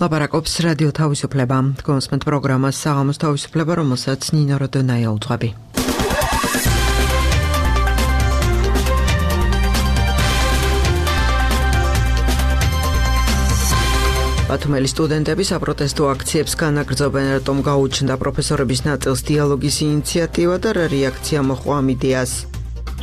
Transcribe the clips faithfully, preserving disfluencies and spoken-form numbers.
ლაპარაკობს რადიო თავისუფლება. გონსმენთ პროგრამას საღამოს თავისუფლება, რომელსაც ნინო როდონაია უძღვები. ბათუმელი სტუდენტები საპროტესტო აქციებს განაგრძობენ, რატომ გაუჩნდა პროფესორების ნაწილს დიალოგის ინიციატივა და რა რეაქცია მოჰყვა ამ იდეას.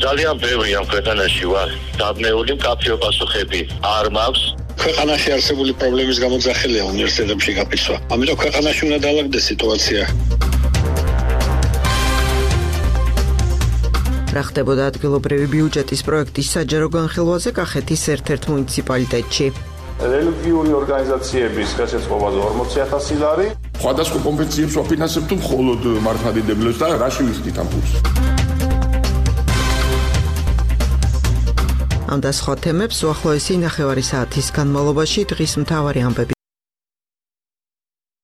ძალიან ბევრი ამ ქვეყანაში ვარ დაბნეული, მკაფიო პასუხები არ მაქვს. ქვეყანაში არსებული პრობლემის გამოძახილია უნივერსიტეტებში გაფიცვა. ამიტომ ქვეყანაში უნდა დაალაგდეს სიტუაცია. რა ხდებოდა ადგილობრივი ბიუჯეტის პროექტის საჯარო განხილვაზე კახეთის ერთ-ერთ მუნიციპალიტეტში. რელიგიური ორგანიზაციების ხელშეწყობაზე ორმოცი ათასი ლარი. სხვადასხვა კონფერენციებს ვაფინანსებთ თუ მხოლოდ მართლმადიდებლებს და რა შევიხდით ამ ფულს. ამ და სხვა თემებს უახლოესი ნახევარი საათის განმავლობაში დღის მთავარი ამბები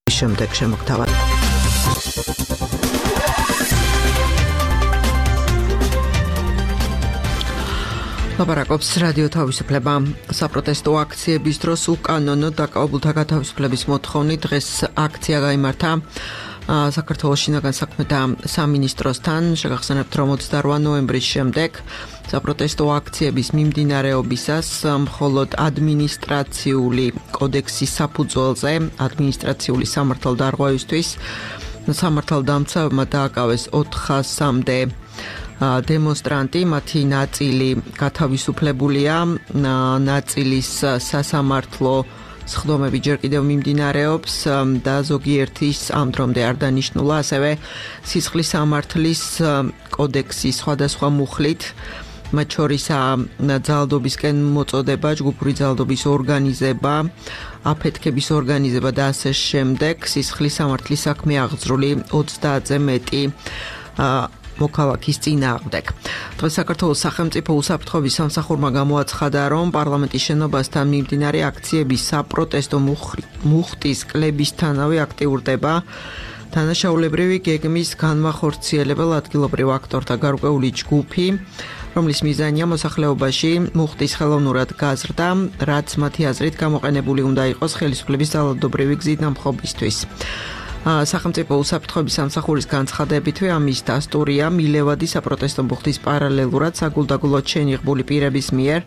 შემდეგ შემოგთავაზებთ. ლაპარაკობს რადიო თავისუფლება. საპროტესტო აქციების დროს უკანონო დაკავებულთა გათავისუფლების მოთხოვნით დღეს აქცია გაიმართა საქართველოს შინაგან საქმეთა სამინისტროსთან. შეგახსენებთ, რომ ოცდაოთხ ნოემბრის შემდეგ საპროტესტო აქციების მიმდინარეობისას მხოლოდ ადმინისტრაციული კოდექსის საფუძველზე ადმინისტრაციული სამართალდარღვევისთვის სამართალდამცავებმა დააკავეს ოთხასამდე დემონსტრანტი, მათი ნაწილი გათავისუფლებულია, ნაწილის სასამართლო სხდომები ჯერ კიდევ მიმდინარეობს და ზოგიერთის ამ დრომდე არ დანიშნულა, ასევე სისხლის სამართლის კოდექსის სხვადასხვა მუხლით, მათ შორისაა ძალადობისკენ მოწოდება, ჯგუფური ძალადობის ორგანიზება, აფეთქების ორგანიზება და ასე შემდეგ. სისხლის სამართლის საქმე აღძრული ოცდაათზე მეტი მოქალაქის წინააღმდეგ. დღეს საქართველოს სახელმწიფო უსაფრთხოების სამსახურმა გამოაცხადა, რომ პარლამენტის შენობასთან მიმდინარე აქციების საპროტესტო მუხტის კლებისთანავე აქტიურდება დანაშაულებრივი გეგმის განმახორციელებელ ადგილობრივ აქტორთა გარკვეული ჯგუფი, რომლის მიზანია მოსახლეობაში მუხტის ხელოვნურად გაზრდა, რაც მათი აზრით გამოყენებული უნდა იყოს ხელისუფლების ძალადობრივი გზით დამხობისთვის. სახელმწიფო უსაფრთხოების სამსახურის განცხადებითვე ამის დასტურია მილევადი საპროტესტო მუხტის პარალელურად საგულდაგულოდ შენიღბული პირების მიერ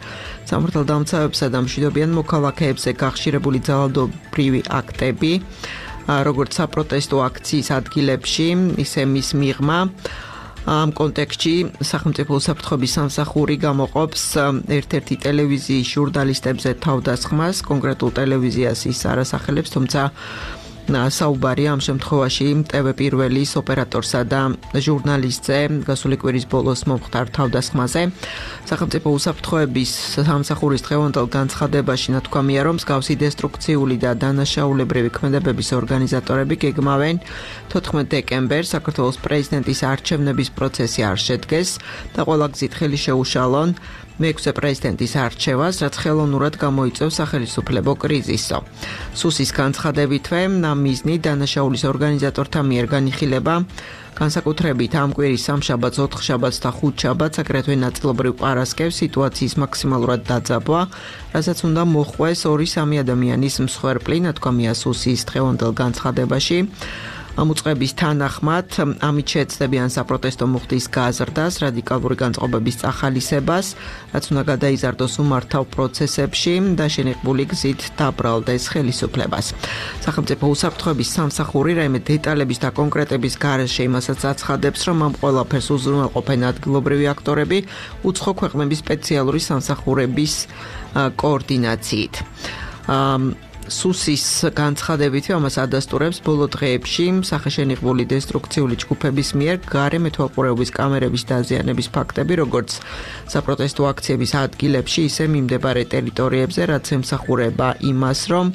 სამართალდამცავებსა და მშვიდობიან მოქალაქეებზე გახშირებული ძალადობრივი აქტები, როგორც საპროტესტო აქციის ადგილებში, ისე მის მიღმა. ამ კონტექსტში სახელმწიფო უსაფრთხოების სამსახური გამოყოფს ერთ-ერთი ტელევიზიის ჟურნალისტებზე თავდასხმას, კონკრეტულ ტელევიზიას ის არ ასახელებს, თუმცა საუბარია ამ შემთხვევაში ტევ პირველის ოპერატორსა და ჟურნალისტზე გასული კვირის ბოლოს მომხდარ თავდასხმაზე. სახელმწიფო უსაფრთხოების სამსახურის დღევანდელ განცხადებაში ნათქვამია, რომ მსგავსი დესტრუქციული და დანაშაულებრივი ქმედებების ორგანიზატორები გეგმავენ თოთხმეტ დეკემბერს საქართველოს პრეზიდენტის არჩევნების პროცესი არ შედგეს და ყველა გზით ხელი შეუშალონ მეექვსე პრეზიდენტის არჩევას, რაც ხელოვნურად გამოიწვევს სახელისუფლებო კრიზისო. სუსის განცხადებითვე ამ მიზნით დანაშაულის ორგანიზატორთა მიერ განიხილება განსაკუთრებით ამ კვირის სამშაბათს, ოთხშაბათს და ხუთშაბათს, აგრეთვე ნაწილობრივ პარასკევს სიტუაციის მაქსიმალურად დაძაბვა, რასაც უნდა მოჰყვეს ორი-სამი ადამიანის მსხვერპლი, ნათქვამია სუსის დღევანდელ განცხადებაში. ამ უწყების თანახმად ამით შეეცდებიან საპროტესტო მუხტის გაზრდას, რადიკალური განწყობების წახალისებას, რაც უნდა გადაიზარდოს უმართავ პროცესებში და შენიღბული გზით დაბრალდეს ხელისუფლებას. სახელმწიფო უსაფრთხოების სამსახური რაიმე დეტალების და კონკრეტების გარეშე იმასაც აცხადებს, რომ ამ ყველაფერს უზრუნველყოფენ ადგილობრივი აქტორები უცხო ქვეყნების სპეციალური სამსახურების კოორდინაციით. სუსის განცხადებითი ამას ადასტურებს ბოლო დღეებში სახეშენიღბული დესტრუქციული ჯგუფების მიერ გარე მეთვალყურეობის კამერების დაზიანების ფაქტები, როგორც საპროტესტო აქციების ადგილებში, ისე მიმდებარე ტერიტორიებზე, რაც ემსახურება იმას, რომ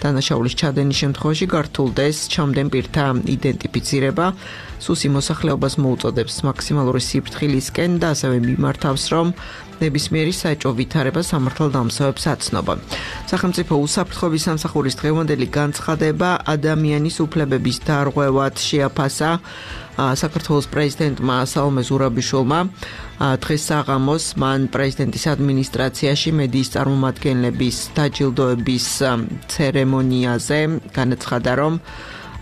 დანაშაულის ჩადენის შემთხვევაში გართულდეს ჩამდენ პირთა იდენტიფიცირება. სუსი მოსახლეობას მოუწოდებს მაქსიმალური სიფრთხილისკენ და ასევე მიმართავს, რომ ნებისმიერი საეჭვო ვითარება სამართალდამცავებს აცნობა. სახელმწიფო უსაფრთხოების სამსახურის დღევანდელი განცხადება ადამიანის უფლებების დარღვევად შეაფასა საქართველოს პრეზიდენტმა სალომე ზურაბიშვილმა. დღეს საღამოს მან პრეზიდენტის ადმინისტრაციაში მედიის წარმომადგენლების დაჯილდოების ცერემონიაზე განაცხადა, რომ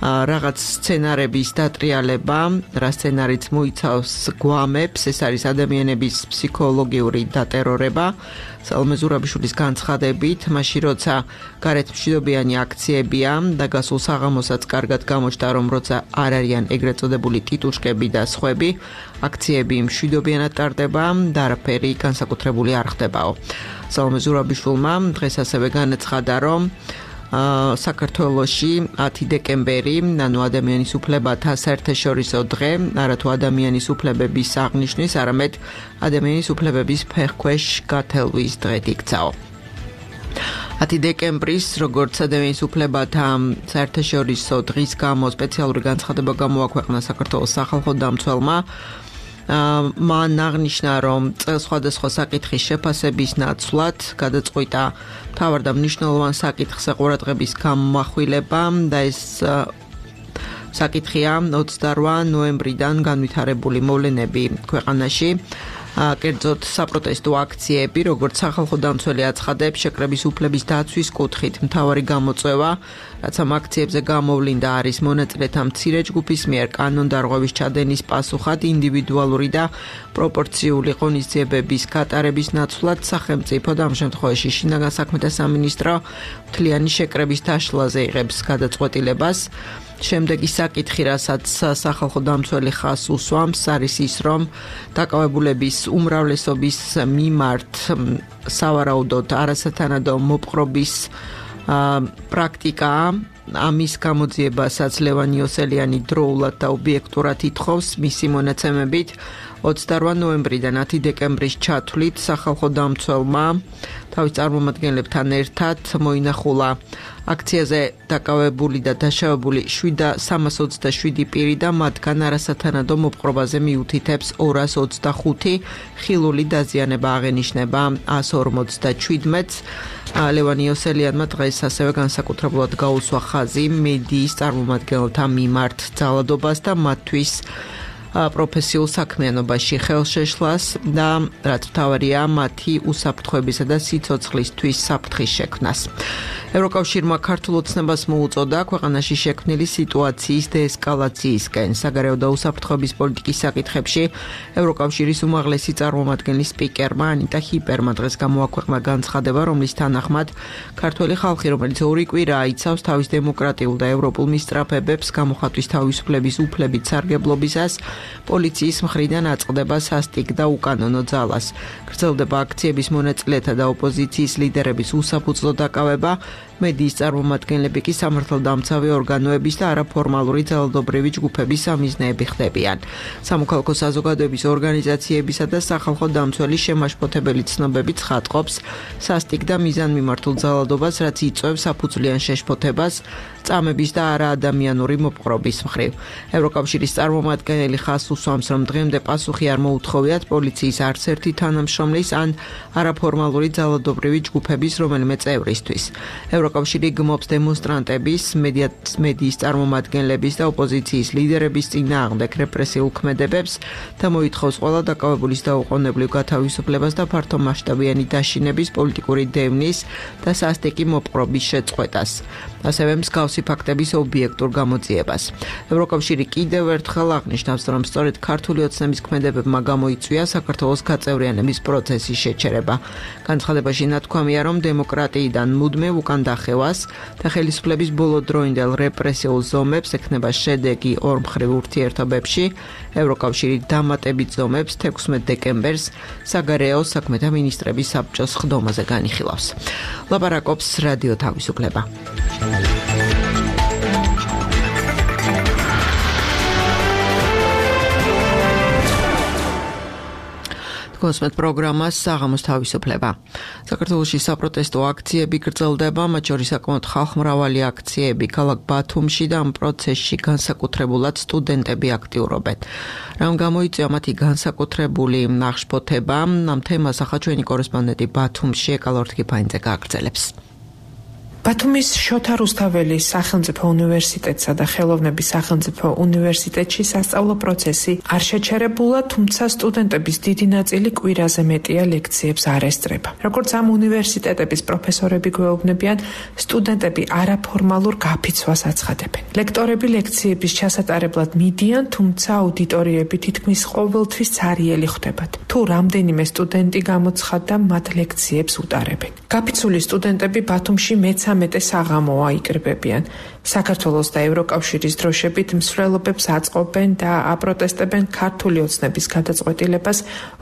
რაღაც სცენარების დატრიალება, რა სცენარიც მოიცავს გვამებს, ეს არის ადამიანების ფსიქოლოგიური დატერორება. სალომე ზურაბიშვილის განცხადებით, მაშინ როცა გარეთ მშვიდობიანი აქციებია და გასულ საღამოსაც კარგად გამოჩნდა, რომ როცა არ არიან ეგრეთ წოდებული ტიტუშკები და სხვები, აქციები მშვიდობიანად ტარდება და არაფერი განსაკუთრებული არ ხდებაო. სალომე ზურაბიშვილმა დღეს ასევე განაცხადა, რომ საქართველოში ათი დეკემბერი, ანუ ადამიანის უფლებათა საერთაშორისო დღე, არათუ ადამიანის უფლებების აღნიშვნის, არამედ ადამიანის უფლებების ფეხქვეშ გათელვის დღედ იქცაო. ათი დეკემბრის, როგორც ადამიანის უფლებათა საერთაშორისო დღის გამო სპეციალური განცხადება გამოაქვეყნა საქართველოს სახალხო დამცველმა. მან აღნიშნა, რომ წელს სხვადასხვა საკითხის შეფასების ნაცვლად გადაწყვიტა მთავარ და მნიშვნელოვან საკითხზე ყურადღების გამახვილება და ეს საკითხია ოცდარვა ნოემბრიდან განვითარებული მოვლენები ქვეყანაში. კერძოდ საპროტესტო აქციები, როგორც სახალხო დამცველი აცხადებს, შეკრების უფლების დაცვის კუთხით მთავარი გამოწვევა, რაც ამ აქციებზე გამოვლინდა, არის მონაწილეთა მცირე ჯგუფის მიერ კანონდარღვევის ჩადენის პასუხად ინდივიდუალური და პროპორციული ღონისძიებების გატარების ნაცვლად სახელმწიფო და ამ შემთხვევაში შინაგან საქმეთა სამინისტრო მთლიანი შეკრების დაშლაზე იღებს გადაწყვეტილებას. შემდეგი საკითხი, რასაც სახალხო დამცველი ხაზს უსვამს, არის ის, რომ დაკავებულების უმრავლესობის მიმართ სავარაუდოდ არასათანადო მოპყრობის პრაქტიკაა. ამის გამოძიებასაც ლევან იოსელიანი დროულად და ობიექტურად ითხოვს. მისი მონაცემებით ოცდარვა ნოემბრიდან ათი დეკემბრის ჩათვლით სახალხო დამცველმა თავის წარმომადგენლებთან ერთად მოინახულა აქციაზე დაკავებული და დაშავებული სამას ოცდაშვიდი პირი და მათგან არასათანადო მოპყრობაზე მიუთითებს ორას ოცდახუთი, ხილული დაზიანება აღენიშნება ას ორმოცდაჩვიდმეტს. ლევან იოსელიანმა დღეს ასევე განსაკუთრებულად გაუსვა ხაზი მედიის წარმომადგენელთა მიმართ ძალადობას და მათთვის პროფესიულ საქმიანობაში ხელშეშლას და რაც მთავარია მათი უსაფრთხოებისა და სიცოცხლისთვის საფრთხის შექმნას. ევროკავშირმა ქართულ ოცნებას მოუწოდა ქვეყანაში შექმნილი სიტუაციის დეესკალაციისკენ. საგარეო და უსაფრთხოების პოლიტიკის საკითხებში ევროკავშირის უმაღლესი წარმომადგენლის სპიკერმა ანიტა ჰიპერმა დღეს გამოაქვეყნა განცხადება, რომლის თანახმად ქართველი ხალხი, რომელიც ორი კვირაა იცავს თავის დემოკრატიულ და ევროპულ მისწრაფებებს გამოხატვის თავისუფლების უფლებით სარგებლობისას, პოლიციის მხრიდან აწყდება სასტიკ და უკანონო ძალას. გრძელდება აქციების მონაწილეთა და ოპოზიციის ლიდერების უსაფუძვლო დაკავება, მედიის წარმომადგენლები კი სამართალდამცავი ორგანოების და არაფორმალური ძალადობრივი ჯგუფების სამიზნეები ხდებიან. სამოქალაქო საზოგადოების ორგანიზაციებისა და სახალხო დამცველი შემაშფოთებელი ცნობები ცხადყოფს სასტიკ და მიზანმიმართულ ძალადობას, რაც იწვევს საფუძვლიან შეშფოთებას წამების და არაადამიანური მოპყრობის მხრივ. ევროკავშირის წარმომადგენელი ხაზს უსვამს, რომ დღემდე პასუხი არ მოუთხოვიათ პოლიციის არც ერთი თანამშრომლის ან არაფორმალური ძალადობრივი ჯგუფების რომელიმე წევრისთვის. ევროკავშირი გმობს დემონსტრანტების, მედიის წარმომადგენლების და ოპოზიციის ლიდერების წინააღმდეგ რეპრესიულ ქმედებებს და მოითხოვს ყველა დაკავებულის დაუყოვნებლივ გათავისუფლებას და ფართომასშტაბიანი დაშინების, პოლიტიკური დევნის და სასტიკი მოპყრობის შეწყვეტას. ასევე მსგავსი ფაქტების ობიექტურ გამოძიებას. ევროკავშირი კიდევ ერთხელ აღნიშნავს, რომ სწორედ ქართული ოცნების ქმედებებმა გამოიწვია საქართველოს გაწევრიანების პროცესის შეჩერება. განცხადებაში ნათქვამია, რომ დემოკრატიიდან მუდმივ უკან დახევას და ხელისუფლების ბოლოდროინდელ რეპრესიულ ზომებს ექნება შედეგი ორმხრივ ურთიერთობებში. ევროკავშირი დამატებით ზომებს თექვსმეტ დეკემბერს საგარეო საქმეთა მინისტრების საბჭოს ხდომაზე განიხილავს. ლაპარაკობს რადიო თავისუფლება. კონსმეთ პროგრამას საღამოს თავისუფლება. საქართველოში საპროტესტო აქციები გრძელდება, მათ შორის საკმაოდ ხალხმრავალი აქციები ქალაქ ბათუმში და ამ პროცესში განსაკუთრებულად სტუდენტები აქტიურობენ. რამ გამოიწვია მათი განსაკუთრებული აღშფოთება, ამ თემას ახლა ჩვენი კორესპონდენტი ბათუმში ეკალორთქიფანიძე გააგრძელებს. ბათუმის შოთა რუსთაველის სახელმწიფო უნივერსიტეტსა და ხელოვნების სახელმწიფო უნივერსიტეტში სასწავლო პროცესი არ შეჩერებულა, თუმცა სტუდენტების დიდი ნაწილი კვირაზე მეტია ლექციებს არ ესწრება. როგორც ამ უნივერსიტეტების პროფესორები გვეუბნებიან, სტუდენტები არაფორმალურ გაფიცვას აცხადებენ. ლექტორები ლექციების ჩასატარებლად მიდიან, თუმცა აუდიტორიები თითქმის ყოველთვის ცარიელი ხვდებათ. თუ რამდენიმე სტუდენტი გამოცხადდა, მათ ლექციებს უტარებენ. გაფიცული სტუდენტები ბათუმში მეცამეტე საღამოა აიკრიბებიან. საქართველოს და ევროკავშირის დროშებით მსვლელობებს აწყობენ და აპროტესტებენ ქართული ოცნების გადაწყვეტილებას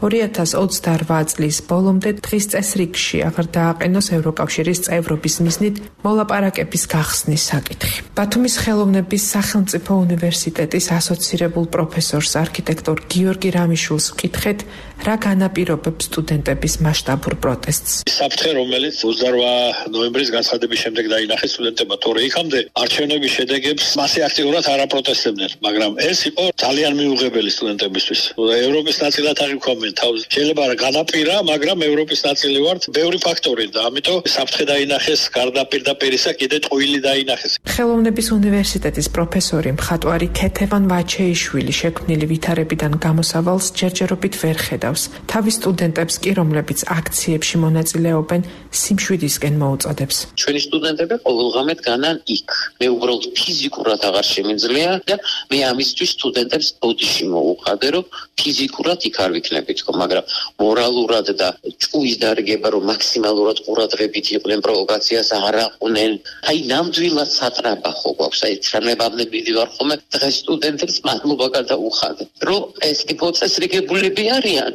ორი ათას ოცდაორბა წლის ბოლომდე დღის წესრიგში აღარ დააყენოს ევროკავშირის წევრობის მიზნით მოლაპარაკების გახსნის საკითხი. ბათუმის ხელოვნების სახელმწიფო უნივერსიტეტის ასოცირებულ პროფესორს არქიტექტორ გიორგი რამიშვილს ვკითხეთ, რა განაპირობებს სტუდენტების მასშტაბურ პროტესტს. საფრთხე, რომელიც ოცდაორბა ნოემბრის განცხადების შემდეგ დაინახეს სტუდენტებმა, თორე იქამდე არჩევნების შედეგებს მასე აქტიურად არ აპროტესტებდნენ, მაგრამ ეს იყო ძალიან მიუღებელი სტუდენტებისთვის. ევროპის ნაწილად აღიქვამენ თავს. შეიძლება რა განაპირა, მაგრამ ევროპის ნაწილი ვართ, ბევრი ფაქტორი და ამიტომ საფრთხე დაინახეს, გარდა პირდაპირისა კიდე ტყუილი დაინახეს. ხელოვნების უნივერსიტეტის პროფესორი მხატვარი ქეთევან ვაჩეიშვილი შექმნილი ვითარებიდან გამოსავალს ჯერჯერობით ვერ ხედავს. თავის სტუდენტებს კი, რომლებიც აქციებში მონაწილეობენ, სიმშვიდისკენ მოუწოდებს. ჩვენი სტუდენტები ყოველღამე დგანან იქ. მე უბრალოდ ფიზიკურად აღარ შემიძლია და მე ამისთვის სტუდენტებს ბოდიში მოუყადე, რომ ფიზიკურად იქ არ ვიქნები თქო, მაგრამ მორალურად და ჭუის დარგება, რომ მაქსიმალურად ყურადღებით იყვნენ, პროვოკაციას არ აყვნեն. აი ნამდვილად სატრაბახო გვაქვს, აი ჩანებამდე მივიდივარ ხოლმე დღეს სტუდენტებს მადლობა გადაუხადე, რომ ეს ტიპო წესრიგებულები არიან,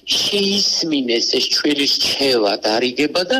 შეისმინეს ეს ჩვენი რჩევა დარიგება და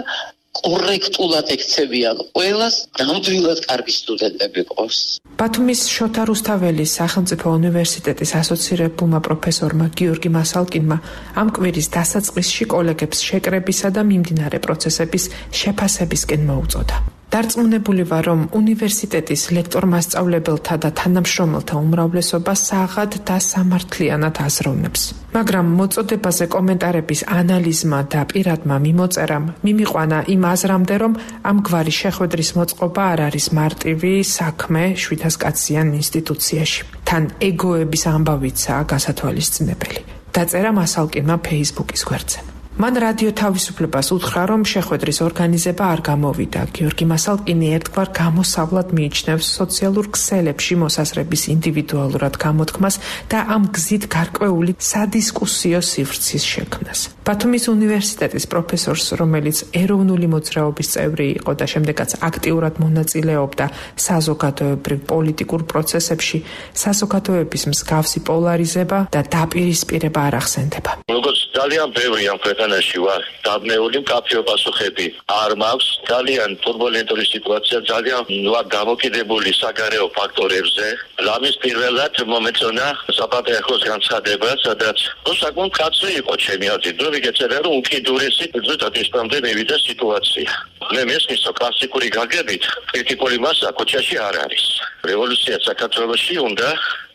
კორექტულად ექცევიან ყველას, ნამდვილად კარგი სტუდენტები ყავს. ბათუმის შოთა რუსთაველის სახელმწიფო უნივერსიტეტის ასოცირებულმა პროფესორმა გიორგი მასალკინმა ამ კვირის დასაწყისში კოლეგებს შეკრებისა და მიმდინარე პროცესების შეფასებისკენ მოუწოდა. დარწმუნებული ვარ, რომ უნივერსიტეტის ლექტორ-მასწავლებელთა და თანამშრომელთა უმრავლესობა საღად და სამართლიანად აზროვნებს. მაგრამ მოწოდებაზე კომენტარების ანალიზმა და პირადმა მიმოწერამ მიმიყვანა იმ აზრამდე, რომ ამგვარი შეხვედრის მოწყობა არ არის მარტივი საქმე შვიდასკაციან ინსტიტუციაში. თან ეგოების ამბავიცაა გასათვალისწინებელი. დაწერა მასალკინმა ფეისბუქის გვერდზე. მან რადიო თავისუფლებას უთხრა, რომ შეხვედრის ორგანიზება არ გამოვიდა. გიორგი მასალკინი ერთგვარ გამოსავლად მიიჩნევს სოციალურ ქსელებში მოსასრების ინდივიდუალურად გამოთქმას და ამ გზით გარკვეული სადისკუსიო სივრცის შექმნას. ბათუმის უნივერსიტეტის პროფესორს, რომელიც ეროვნული მოძრაობის წევრი იყო და შემდეგაც აქტიურად მონაწილეობდა საზოგადოებრივ პოლიტიკურ პროცესებში, საზოგადოების მსგავსი პოლარიზება და დაპირისპირება არ ახსენდება. როგორც ძალიან ბევრი ამ ქვეყანაში ვარ დაბნეული, მკაფიო პასუხები არ მაქვს. ძალიან ტურბულენტური სიტუაცია, ძალიან ვარ დამოკიდებული საგარეო ფაქტორებზე. ლამის პირველად მომეწონა საპატრიარქოს განცხადება, სადაც საკმაოდ კაცრი იყო ჩემი აზრით, რომ ვიგეწერა, რომ უკიდურესი ზუსტად ისპამდე მივიდა სიტუაცია. მე მესმის, რომ კლასიკური გაგებით კრიტიკული მასა ქუჩაში არ არის. რევოლუცია საქართველოში უნდა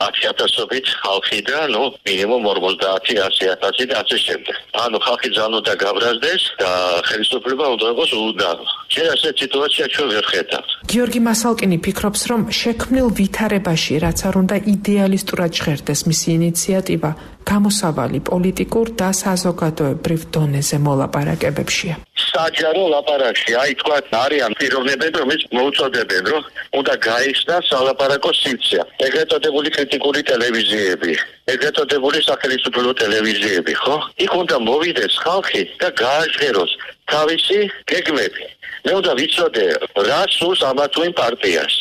ათი ათასობით ხალხი და ნუ მინიმუმ ორმოცდაათი ასი ათასი და ასე შემდეგ. ანუ ხალხი ძალიან უნდა გაბრაზდეს და ხელისუფლება უნდა იყოს უდანო. ჯერ ასეთ სიტუაცია ჩვენ ვერ ხედავთ. გიორგი მასალკინი ფიქრობს, რომ შექმნილ ვითარებაში, რაც არ უნდა იდეალისტურად ჟღერდეს მისი ინიციატივა, გამოსავალი პოლიტიკურ და საზოგადოებრივ დონეზე მოლაპარაკებებშია. საჯარო ლაპარაკში, აი თქვა, არიან პიროვნებები, რომელიც მოუწოდებენ, რომ უნდა გაიხსნას სალაპარაკო სივრცე. ეგრეთ წოდებული კრიტიკული ტელევიზიები, ეგრეთ წოდებული სახელმწიფო ტელევიზიები, ხო? იქ უნდა მოვიდეს ხალხი და გააჟღეროს თავისი გეგმები. მე უნდა ვიცოდე, რა სურს ამა თუ იმ პარტიას,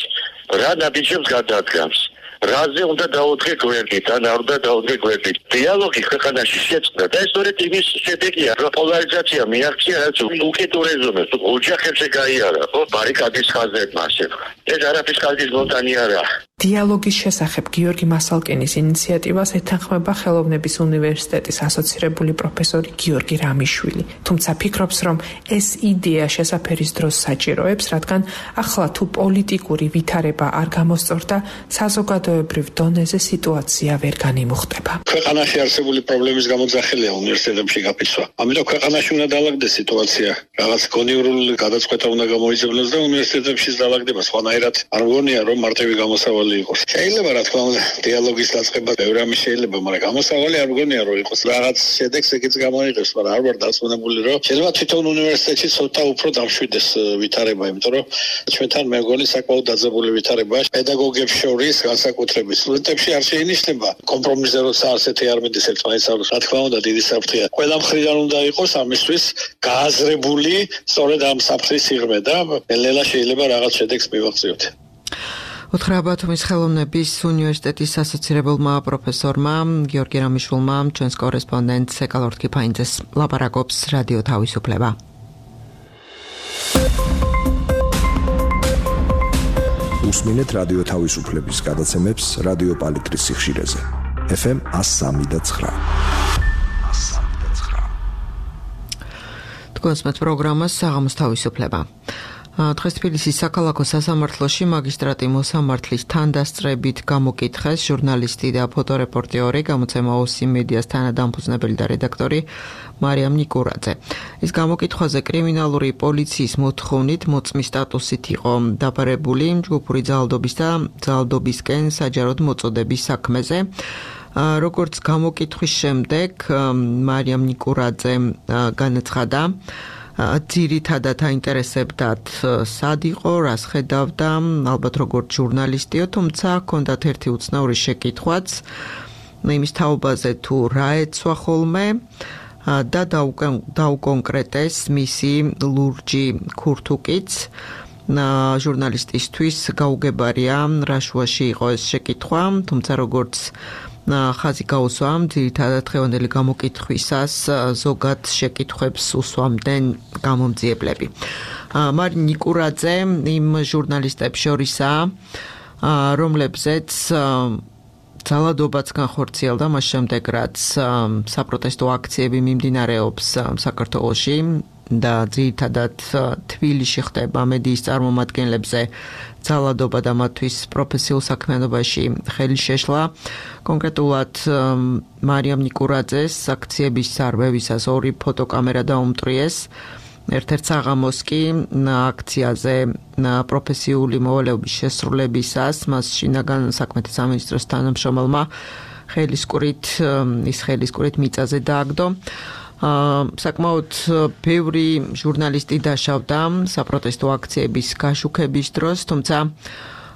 რა ნაბიჯებს გადადგამს. რაზე უნდა დაუდგე გვერდით, ან არ უნდა დაუდგე გვერდით. დიალოგი ქვეყანაში შეწყდა და ეს სწორედ იმის შედეგია, რომ პოლარიზაცია მიაღწია, რაც უკიდურესობებს, ოჯახებზე გაიარა, ხო, ბარიკადის ხაზებმა ასე. ეს არაფრის კარგი ზოლტანი არა. დიალოგის შესახებ გიორგი მასალკინის ინიციატივას ეთანხმება ხელოვნების უნივერსიტეტის ასოცირებული პროფესორი გიორგი რამიშვილი. თუმცა ფიქრობს, რომ ეს იდეა შესაფერის დროს საჭიროებს, რადგან ახლა თუ პოლიტიკური ვითარება არ გამოსწორდა, საზოგადოებრივ დონეზე სიტუაცია ვერ განიმუხტება. ქვეყანაში არსებული პრობლემის გამოძახილია უნივერსიტეტებში გაფიცვა. ამიტომ ქვეყანაში უნდა დაალაგდეს სიტუაცია. რაღაც კონიურული გადაწყვეტა უნდა გამოიძებნოს და უნივერსიტეტებში დაალაგდება. სხვანაირად არ მგონია, რომ მარტივი გამოსავალი იყოს. შეიძლება რა თქმა უნდა დიალოგის დაწყება ბევრი რამე შეიძლება, მაგრამ გამოსავალი არ მგონია რომ იყოს. რაღაც შედეგს ეგეც გამოიღებს, მაგრამ არ ვარ დასვენებული რომ შეიძლება თვითონ უნივერსიტეტში ცოტა უფრო დამშვიდეს ვითარება, იმიტომ რომ ჩვენთან მე მგონი საკმაოდ დაძაბული ვითარებაა პედაგოგებს შორის, განსაკუთრებით სტუდენტებში არ შეინიშნება კომპრომისზე, როცა ასეთი არ მიდის ერთმანეთს არ. რა თქმა უნდა დიდი საფრთხეა. ყველა მხრიდან უნდა იყოს ამისთვის გააზრებული სწორედ ამ საფრთხის სიღრმე და ნელა შეიძლება რაღაც შედეგს მივახციოთ. უთხრა ბათუმის ხელოვნების უნივერსიტეტის ასოცირებულმა პროფესორმა გიორგი რამიშვილმა ჩვენს კორესპონდენტს ეკალორ თქიფაინძეს ლაპარაკობს რადიო თავისუფლება. უსმინეთ რადიო თავისუფლების გადაცემებს რადიო პალიტრის სიხშირეზე. ეფ ემ one oh three და nine. თქვენს პროგრამას საღამოს თავისუფლება. დღეს თბილისის საქალაქო სასამართლოში მაგისტრატი მოსამართლის თანდასწრებით გამოკითხეს ჟურნალისტი და ფოტორეპორტიორი გამოცემა ოსი მედიას თანადამფუძნებელი და რედაქტორი მარიამ ნიკურაძე. ის გამოკითხვაზე კრიმინალური პოლიციის მოთხოვნით მოწმის სტატუსით იყო დაბარებული ჯგუფური ძალადობის და ძალადობისკენ საჯაროდ მოწოდების საქმეზე. როგორც გამოკითხვის შემდეგ მარიამ ნიკურაძე განაცხადა, ძირითადად აინტერესებდათ სად იყო, რას ხედავდა, ალბათ როგორც ჟურნალისტიო, თუმცა ჰქონდათ ერთი უცნაური შეკითხვაც იმის თაობაზე თუ რა ეცვა ხოლმე და დაუკონკრეტეს მისი ლურჯი ქურთუკიც. ჟურნალისტისთვის გაუგებარია რა შუაში იყო ეს შეკითხვა, თუმცა როგორც ხაზი გაუსვა, ძირითადად დღევანდელი გამოკითხვისას ზოგად შეკითხვებს უსვამდნენ გამომძიებლები. მარი ნიკურაძე იმ ჟურნალისტებს შორისაა, რომლებზეც ძალადობაც განხორციელდა მას შემდეგ, რაც საპროტესტო აქციები მიმდინარეობს საქართველოში და ძირითადად თბილისში ხდება მედიის წარმომადგენლებზე ძალადობა და მათთვის პროფესიულ საქმიანობაში ხელი შეშლა. კონკრეტულად მარიამ ნიკურაძეს აქციების სარბევისას ორი ფოტოკამერა დაუმტვრიეს. ერთ-ერთ საღამოს კი აქციაზე პროფესიული მოვალეობის შესრულებისას მას შინაგან საქმეთა სამინისტროს თანამშრომელმა ხელისკურით ის ხელისკურით მიწაზე დააგდო. საკმაოდ ბევრი ჟურნალისტი დაშავდა საპროტესტო აქციების გაშუქების დროს, თუმცა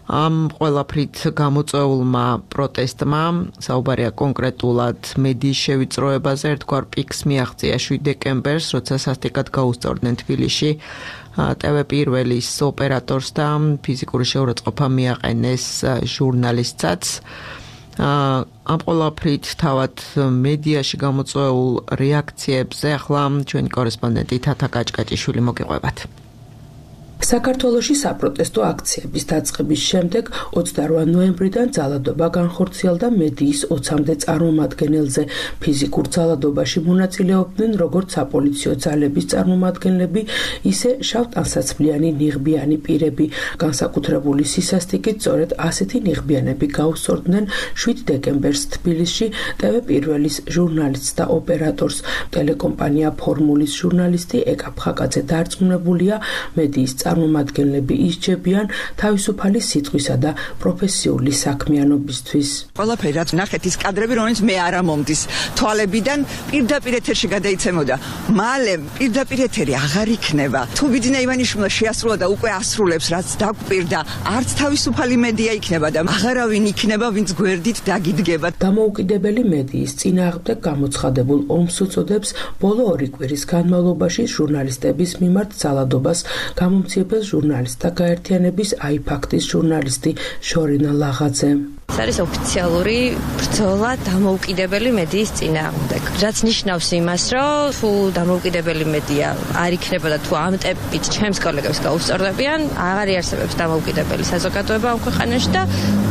ამ ყველაფრით გამოწვეულმა პროტესტმა, საუბარია კონკრეტულად მედიის შევიწროებაზე, ერთგვარ პიკს მიაღწია შვიდ დეკემბერს, როცა სასტიკად გაუსწორდნენ თბილისში ტევ პირველის ოპერატორს და ფიზიკური შეურაცხყოფა მიაყენეს ჟურნალისტსაც. ამ ყველაფრით თავად მედიაში გამოწვეულ რეაქციებზე ახლა ჩვენი კორესპონდენტი თათა კაჭკაჭიშვილი მოგიყვებათ. საქართველოში საპროტესტო აქციების დაწყების შემდეგ ოცდაოთხ ნოემბრიდან ძალადობა განხორციელდა მედიის ოცამდე წარმომადგენელზე. ფიზიკურ ძალადობაში მონაწილეობდნენ როგორც საპოლიციო ძალების წარმომადგენლები, ისე შავ ტანსაცმლიანი ნიღბიანი პირები. განსაკუთრებული სისასტიკით სწორედ ასეთი ნიღბიანები გაუსწორდნენ შვიდ დეკემბერს თბილისში ტევ პირველის ჟურნალისტს და ოპერატორს. ტელეკომპანია ფორმულის ჟურნალისტი ეკა ფხაკაძე დარწმუნებულია, მედიის წარმომადგენლები ისჯებიან თავისუფალი სიტყვისა და პროფესიული საქმიანობისთვის. ყველაფერი რაც ნახეთ ის კადრები, რომელიც მე არ ამომდის თვალებიდან, პირდაპირ ეთერში გადაიცემოდა. მალე პირდაპირ ეთერი აღარ იქნება. თუ ბიძინა ივანიშვილმა შეასრულა და უკვე ასრულებს, რაც დაგვპირდა, არც თავისუფალი მედია იქნება და აღარავინ იქნება, ვინც გვერდით დაგიდგება. დამოუკიდებელი მედიის წინააღმდეგ გამოცხადებულ ომს უწოდებს ბოლო ორი კვირის განმავლობაში ჟურნალისტების მიმართ ძალადობას გამომცემ ჟურნალისტთა გაერთიანების აიფაქტის ჟურნალისტი შორინა ლაღაძე. ეს არის ოფიციალური ბრძოლა დამოუკიდებელი მედიის წინააღმდეგ. რაც ნიშნავს იმას, რომ თუ დამოუკიდებელი მედია არ იქნებოდა თუ ამ ტემპით ჩემს კოლეგებს გაუსწორდებიან, აღარ იარსებებს დამოუკიდებელი საზოგადოება ამ ქვეყანაში და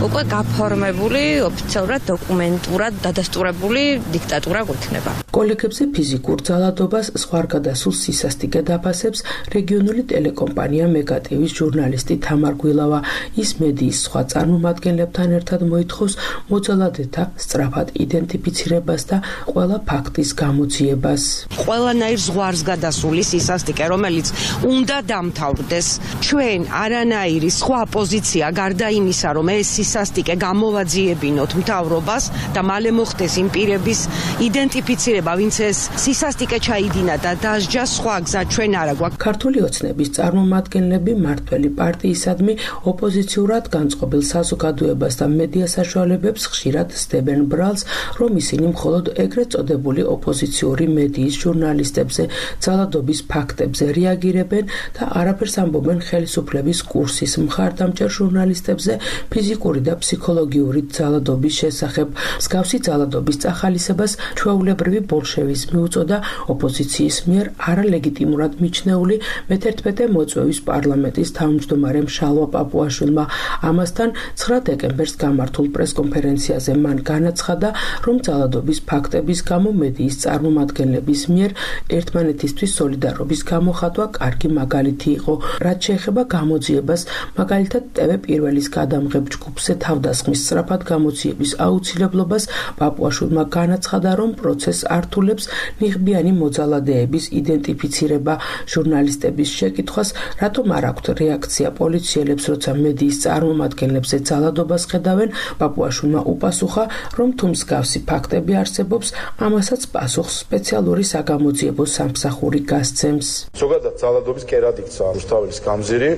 უკვე გაფორმებული ოფიციალურად დოკუმენტურად დადასტურებული დიქტატურა გვექნება. კოლეგებზე ფიზიკურ ძალადობას სხვარგადასულ სისასტიკე დაფასებს რეგიონული ტელეკომპანია მეგატივის ჟურნალისტი თამარ გვილავა. ის მედიის სხვა წარმომადგენლებთან ერთად მოითხოვს მოძალადეთა სწრაფად იდენტიფიცირებას და ყველა ფაქტის გამოძიებას. ყველანაირ ზღვარს გადასული სისასტიკე, რომელიც უნდა დამთავრდეს. ჩვენ არანაირი სხვა პოზიცია გარდა იმისა, რომ ეს სისასტიკე გამოვაძიებინოთ მთავრობას და მალე მოხდეს იმ პირების იდენტიფიცირება, ვინც ეს სისასტიკე ჩაიდინა და დასჯა, სხვა გზა ჩვენ არ აქვს. ქართული ოცნების წარმომადგენლები მართველი პარტიისადმი ოპოზიციურად განწყობილ საზოგადოებას და მედია საშუალებებს ხშირად სდებენ ბრალს, რომ ისინი მხოლოდ ეგრეთ წოდებული ოპოზიციური მედიის ჟურნალისტებზე ძალადობის ფაქტებზე რეაგირებენ და არაფერს ამბობენ ხელისუფლების კურსის მხარდამჭერ ჟურნალისტებზე ფიზიკური და ფსიქოლოგიური ძალადობის შესახებ. მსგავსი ძალადობის წახალისებას ჩვეულებრივი ბოლშევიზმი უწოდა ოპოზიციის მიერ არალეგიტიმურად მიჩნეული მეთერთმეტე მოწვევის პარლამენტის თავმჯდომარემ შალვა პაპუაშვილმა. ამასთან ცხრა დეკემბერს გამართულ პრესკონფერენციაზე მან განაცხადა, რომ ძალადობის ფაქტების გამო მედიის წარმომადგენლების მიერ ერთმანეთისთვის სოლიდარობის გამოხატვა კარგი მაგალითი იყო. რაც შეეხება გამოძიებას, მაგალითად ტევ პირველის გადამღებ ჯგუფზე თავდასხმის სწრაფად გამოძიების აუცილებლობას, პაპუაშვილმა განაცხადა, რომ პროცესს ართულებს ნიღბიანი მოძალადეების იდენტიფიცირება. ჟურნალისტების შეკითხვას, რატომ არ აქვთ რეაქცია პოლიციელებს, როცა მედიის წარმომადგენლებზე ძალადობას ხედავენ, პაპუაშვილმა უპასუხა, რომ თუ მსგავსი ფაქტები არსებობს, ამასაც პასუხს სპეციალური საგამოძიებო სამსახური გასცემს. ზოგადად ძალადობის კერად იქცა რუსთაველის გამზირი,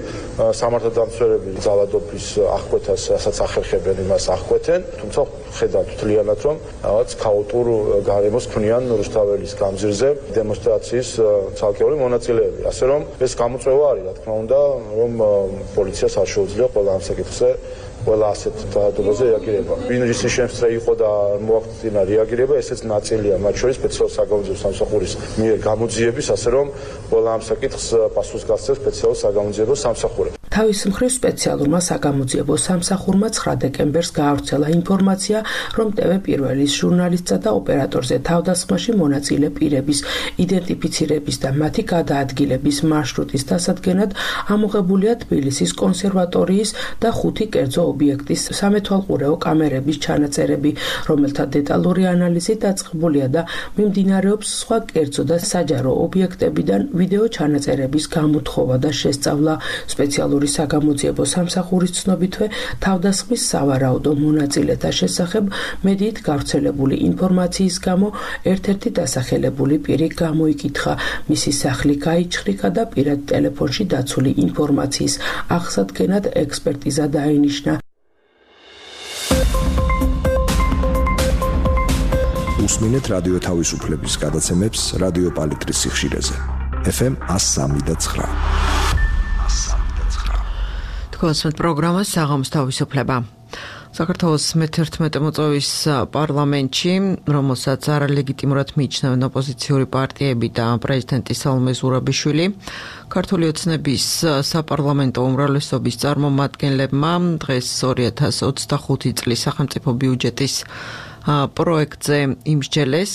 სამართალდამცველები ძალადობის აღკვეთას, რასაც ახერხებენ, იმას აღკვეთენ, თუმცა ხედავთ თლიანად, რომ რაღაც ქაოტურ გარემოს ქმნიან რუსთაველის გამზირზე დემონსტრაციის ცალკეული მონაწილეები. ასე რომ ეს გამოწვევა არის, რა თქმა უნდა, რომ პოლიციას არ შეუძლია ყველა ამ საკითხზე ყველა ასეთ ძალადობაზე რეაგირება. ვინ რის შემსწრე იყო და მოახდინა რეაგირება, ესეც ნაწილია მათ შორის სპეციალურ საგამოძიებო სამსახურის მიერ გამოძიების, ასე რომ ყველა ამ საკითხს პასუხს გასცემს სპეციალურ საგამოძიებო სამსახური. თავის მხრივ სპეციალურმა საგამოძიებო სამსახურმა ცხრა დეკემბერს გაავრცელა ინფორმაცია, რომ ტევ პირველის ჟურნალისტსა და ოპერატორზე თავდასხმაში მონაწილე პირების იდენტიფიცირების და მათი გადაადგილების მარშრუტის დასადგენად ამოღებულია თბილისის კონსერვატორიის და ხუთი კერძო ობიექტის სამეთვალყურეო კამერების ჩანაწერები, რომელთა დეტალური ანალიზი დაწყებულია და მიმდინარეობს სხვა კერძო და საჯარო ობიექტებიდან ვიდეო ჩანაწერების გამოთხოვა და შესწავლა. სპეციალური საგამოძიებო სამსახურის ცნობითვე თავდასხმის სავარაუდო მონაწილეთა შესახებ მედიით გავრცელებული ინფორმაციის გამო ერთ-ერთი დასახელებული პირი გამოიკითხა. მისი სახლი გაიჩხრიკა და პირად ტელეფონში დაცული ინფორმაციის აღსადგენად ექსპერტიზა დაინიშნა. უსმინეთ რადიო თავისუფლების გადაცემებს რადიო პალიტრის სიხშირეზე. ეფ ემ one oh three point nine. თქვენს პროგრამას საღამოს თავისუფლება. საქართველოს მეთერთმეტე მოწვევის პარლამენტში, რომელსაც არალეგიტიმურად მიიჩნევენ ოპოზიციური პარტიები და პრეზიდენტი სალომე ზურაბიშვილი, ქართული ოცნების საპარლამენტო უმრავლესობის წარმომადგენლებმა დღეს ორი ათას ოცდახუთი წლის სახელმწიფო ბიუჯეტის პროექტზე იმსჯელეს.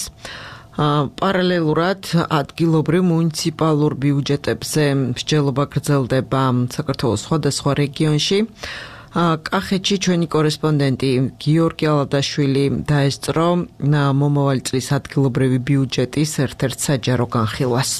პარალელურად ადგილობრივ მუნიციპალურ ბიუჯეტებზე მსჯელობა გრძელდება საქართველოს სხვადასხვა რეგიონში. კახეთში ჩვენი კორესპონდენტი გიორგი ალადაშვილი დაესწრო მომავალი წლის ადგილობრივი ბიუჯეტის ერთ-ერთ საჯარო განხილვას.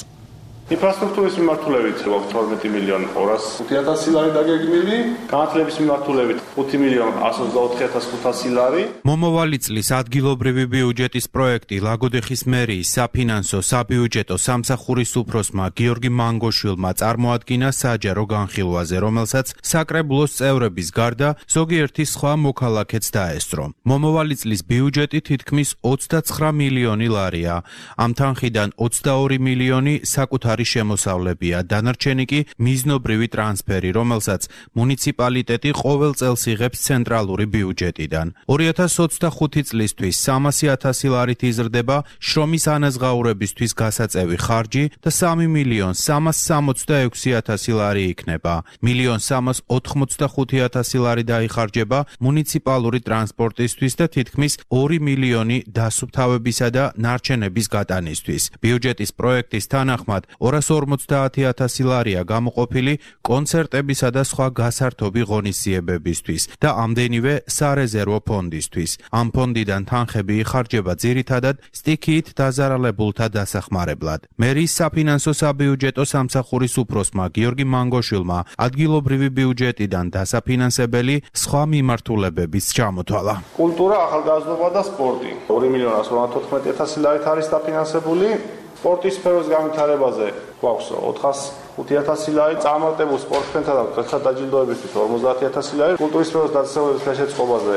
ინფრასტრუქტურის მიმართულებით თორმეტი მილიონი ორასი ათასი ლარი დაგეგმილი, განათლების მიმართულებით ხუთი მილიონი εκατო ოცდაოთხი ათას ხუთასი ლარი. მომავალი წლის ადგილობრივი ბიუჯეტის პროექტი ლაგოდეხის მერიის საფინანსო საბიუჯეტო სამსახურის უფროსმა გიორგი მანგოშვილმა წარმოადგინა საჯარო განხილვაზე, რომელსაც საკრებულოს წევრების გარდა ზოგიერთი სხვა მოქალაქეც დაესწრო. მომავალი წლის ბიუჯეტი თითქმის ოცდაცხრა მილიონი ლარია. ამ თანხიდან ოცდაორი მილიონი საკუთარი საკუთარი შემოსავლებია, დანარჩენი კი მიზნობრივი ტრანსფერი, რომელსაც მუნიციპალიტეტი ყოველ წელს იღებს ცენტრალური ბიუჯეტიდან. ორი ათას ოცდახუთი წლისთვის სამასი ათასი ლარით იზრდება შრომის ანაზღაურებისთვის გასაწევი ხარჯი და სამი მილიონ სამას სამოცდაექვსი ათასი ლარი იქნება. მილიონ სამას ოთხმოცდახუთი ათასი ლარი დაიხარჯება მუნიციპალური ტრანსპორტისთვის და თითქმის ორი მილიონი დასუფთავებისა და ნარჩენების გატანისთვის. ბიუჯეტის პროექტის თანახმად ორას ორმოცდაათი ათასი ლარია გამოყოფილი კონცერტებისა და სხვა გასართობი ღონისძიებებისთვის და ამდენივე სარეზერვო ფონდისთვის. ამ ფონდიდან თანხები იხარჯება ძირითადად სტიქიით დაზარალებულთა დასახმარებლად. მერის საფინანსო საბიუჯეტო სამსახურის უფროსმა გიორგი მანგოშვილმა ადგილობრივი ბიუჯეტიდან დასაფინანსებელი სხვა მიმართულებებიც ჩამოთვალა. კულტურა, ახალგაზრდობა და სპორტი. ორი მილიონი ათას ორმოცდაოთხმეტი ათასი ლარით არის დაფინანსებული. სპორტის სფეროს განვითარებაზე გვაქვს ოთხას ხუთი ათასი ლარი, წარმატებულ სპორტსმენთა და გლეხთა დაჯილდოებისთვის ორმოცდაათი ათასი ლარი, კულტურის სფეროს დაწესებულებების ხელშეწყობაზე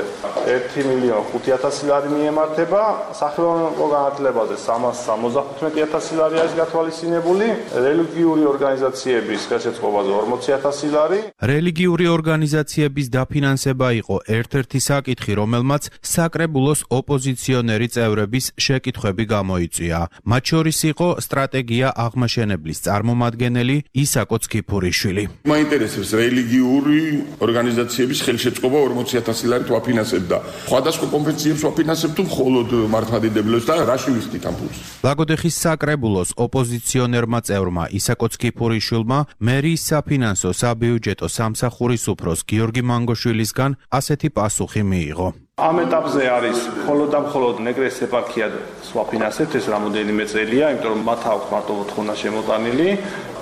ერთი მილიონი ხუთი ათასი ლარი მიემართება, სახელმწიფო განათლებაზე სამას სამოცდახუთმეტი ათასი ლარი არის გათვალისწინებული, რელიგიური ორგანიზაციების ხელშეწყობაზე ორმოცი ათასი ლარი. რელიგიური ორგანიზაციების დაფინანსება იყო ერთ-ერთი საკითხი, რომელმაც საკრებულოს ოპოზიციონერი წევრების შეკითხვები გამოიწვია. მათ შორის იყო სტრატეგია აღმაშენებლის წარმომადგენელი ისაკო ცქიფურიშვილი. მაინტერესებს რელიგიური ორგანიზაციების ხელშეწყობა ორმოცი ათასი ლარით ვაფინანსებდა. სხვადასხვა კონფესიებს ვაფინანსებთ თუ მხოლოდ მართლმადიდებლებს და რაში ვიხდით ამ ფულს? ლაგოდეხის საკრებულოს ოპოზიციონერმა წევრმა ისაკო ცქიფურიშვილმა მერიის საფინანსო საბიუჯეტო სამსახურის უფროს გიორგი მანგოშვილისგან ასეთი პასუხი მიიღო. ამ ეტაპზე არის მხოლოდ და მხოლოდ ნეგრეს ეპარქია ვაფინანსებთ, ეს რამოდენიმე წელია, იმიტომ რომ მათ აქვს მარტო მოთხოვნა შემოტანილი.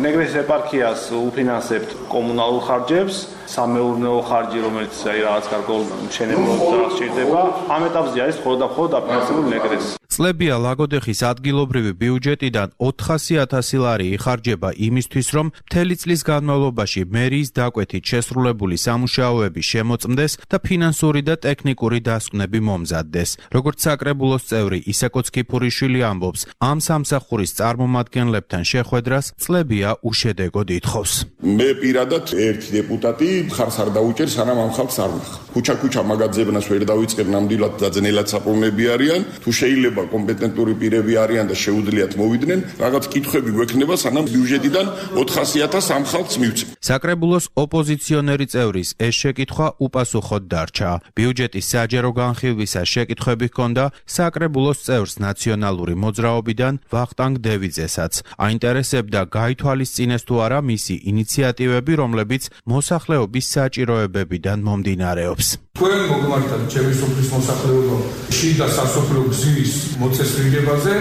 ნეგრეს ეპარქიას უფინანსებთ კომუნალურ ხარჯებს, სამეურნეო ხარჯი, რომელიც აი რაღაც გარკვეულ მშენებლობას სჭირდება. ამ ეტაპზე არის მხოლოდ და მხოლოდ დაფინანსებული ნეგრეს. წლებია ლაგოდეხის ადგილობრივი ბიუჯეტიდან ოთხასი ათასი ლარი იხარჯება იმისთვის, რომ მთელი წლის განმავლობაში მერიის დაკვეთით შესრულებული სამუშაოები შემოწმდეს და ფინანსური და ტექნიკური დასკვნები მომზადდეს. როგორც საკრებულოს წევრი ისაკო ცქიფურიშვილი ამბობს, ამ სამსახურის წარმომადგენლებთან შეხვედრას წლებია უშედეგოდ ითხოვს. მე პირადად ერთი დეპუტატი მხარს არ დაუჭერ, სანამ ამ ხალხს არ ვნახავ. ქუჩა-ქუჩა მაგაძებნას ვერ დავიწყებ, ნამდვილად დაძნელად საპოვნები არიან, თუ შეიძლება კომპეტენტური პირები არიან და შეუძლიათ მოვიდნენ, რაღაც კითხვები გვექნება, სანამ ბიუჯეტიდან ოთხასი ათასს ამ ხალხს მივცემ. საკრებულოს ოპოზიციონერი წევრის ეს შეკითხვა უპასუხოდ დარჩა. ბიუჯეტის საჯერო განხილვისას შეკითხვები ჰქონდა საკრებულოს წევრს ნაციონალური მოძრაობიდან ვახტანგ დევიძესაც. აინტერესებდა გაითვალისწინეს თუ არა მისი ინიციატივები, რომლებიც მოსახლეობის საჭიროებებიდან მომდინარეობს. თქვენ მოგმართათ ჩემი სოფლის მოსახლეობა შიდა სასოფლო გზის მოწესრიგებაზე,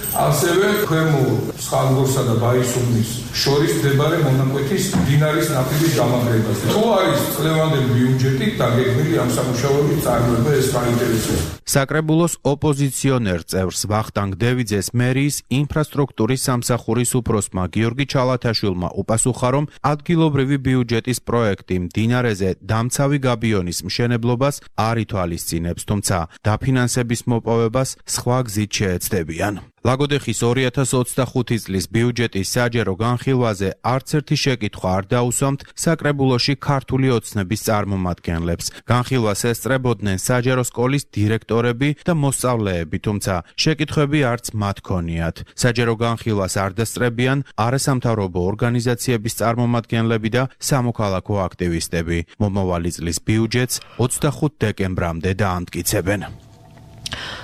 ასევე ქვემო სხალგორსა და ბაისუბნის შორის მდებარე მონაკვეთის მდინარის ნაპირის გამაგრებაზე. თუ არის წლევანდელი ბიუჯეტი დაგეგმილი ამ სამუშაოების წარმოება, ეს გაინტერესებს. საკრებულოს ოპოზიციონერ წევრს ვახტანგ დევიძეს მერიის ინფრასტრუქტურის სამსახურის უფროსმა გიორგი ჩალათაშვილმა უპასუხა, რომ ადგილობრივი ბიუჯეტის პროექტი მდინარეზე დამცავი გაბიონის მშენებლობას არ ითვალისწინებს, თუმცა დაფინანსების მოპოვებას სხვა გზით შეეცდებიან. ლაგოდეხის ორი ათას ოცდახუთი წლის ბიუჯეტის საჯერო განხილვაზე არც ერთი შეკითხვა არ დაუსვამთ საკრებულოში ქართული ოცნების წარმომადგენლებს. განხილვას ესწრებოდნენ საჯარო სკოლის დირექტორები და მოსწავლეები, თუმცა შეკითხვები არც მათ ჰქონიათ. საჯარო განხილვას არ დასწრებიან არასამთავრობო ორგანიზაციების წარმომადგენლები და სამოქალაქო აქტივისტები. მომავალი წლის ბიუჯეტს ოცდახუთ დეკემბრამდე დაამტკიცებენ.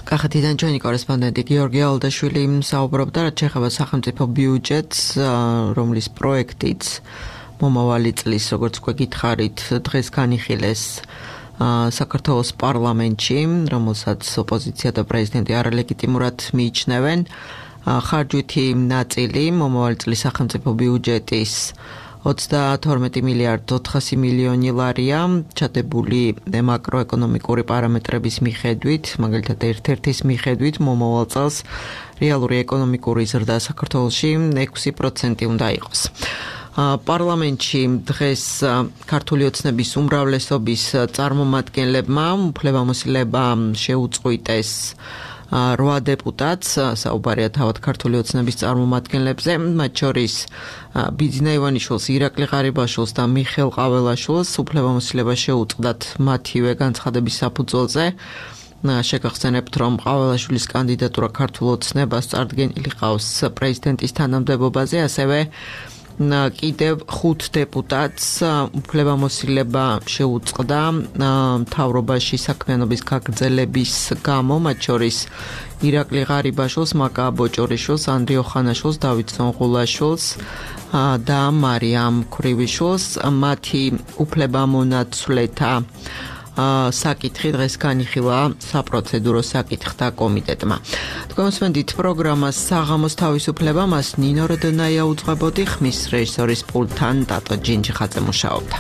კახეთიდან ჩვენი კორესპონდენტი გიორგი ალდაშვილი საუბრობდა, რაც შეეხება სახელმწიფო ბიუჯეტს, რომლის პროექტიც მომავალი წლის, როგორც გვეკითხარით, დღეს განიხილეს საქართველოს პარლამენტში, რომელსაც ოპოზიცია და პრეზიდენტი არალეგიტიმურად მიიჩნევენ. ხარჯვითი ნაწილი მომავალი წლის სახელმწიფო ბიუჯეტის ოცდათორმეტი მილიარდი ოთხასი მილიონი ლარია, ჩადებული მაკროეკონომიკური პარამეტრების მიხედვით, მაგალითად ერთ-ერთის მიხედვით, მომავალ წელს რეალური ეკონომიკური ზრდა საქართველოში ექვსი პროცენტი უნდა იყოს. პარლამენტში დღეს ქართული ოცნების უმრავლესობის წარმომადგენლებმა უფლებამოსილება შეუწყვიტეს რვა დეპუტატს, საუბარია თავად ქართული ოცნების წარმომადგენლებზე, მათ შორის ბიძინა ივანიშვილს, ირაკლი ღარიბაშვილს და მიხეილ ყაველაშვილს უფლებამოსილება შეუწყდათ მათივე განცხადების საფუძველზე. შეგახსენებთ, რომ ყაველაშვილის კანდიდატურა ქართულ ოცნებას წარდგენილი ყავს პრეზიდენტის თანამდებობაზე, ასევე კიდევ ხუთ დეპუტატს უფლებამოსილება შეუწყდა მთავრობაში საქმიანობის გაგრძელების გამო, მათ შორის ირაკლი ღარიბაშვილს, მაკა ბოჭორიშვილს, ანდრიო ხანაშვილს, დავით სონღულაშვილს და მარიამ ქრივიშვილს. მათი უფლებამონაცვლეთა საკითხი დღეს განიხილა საპროცედურო საკითხთა კომიტეტმა. თქვენ მოსმენთ პროგრამას საღამოს თავისუფლება, მას ნინო როდონაია უძღვებოდი, ხმის რეჟისორის პულტთან დატო ჯინჯიხაძე მუშაობდა.